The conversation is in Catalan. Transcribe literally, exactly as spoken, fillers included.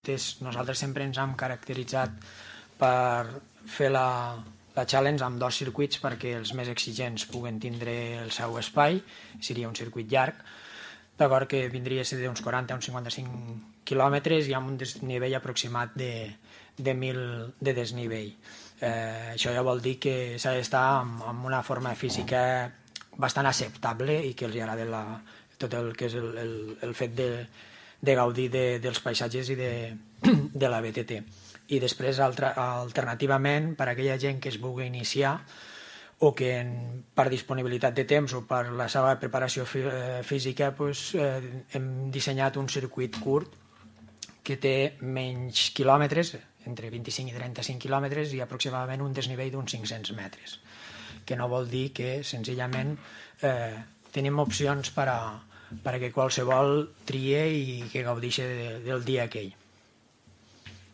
Nosaltres sempre ens hem caracteritzat per fer la, la challenge amb dos circuits perquè els més exigents puguen tindre el seu espai, seria un circuit llarg, d'acord, que vindria a ser d'uns quaranta a uns cinquanta-cinc quilòmetres i amb un desnivell aproximat de, de mil de desnivell. Eh, això ja vol dir que s'ha d'estar amb, amb una forma física bastant acceptable i que els agrada la, tot el que és el, el, el fet de, de gaudir de, dels paisatges i de, de la B T T. I després, altra, alternativament, per a aquella gent que es vulgui iniciar o que en, per disponibilitat de temps o per la seva preparació fí, eh, física pues, eh, hem dissenyat un circuit curt que té menys quilòmetres, entre vint-i-cinc i trenta-cinc quilòmetres i aproximadament un desnivell d'uns cinc-cents metres, que no vol dir que senzillament eh, tenim opcions per a, per a que qualsevol trie i que gaudeixi de, del dia aquell.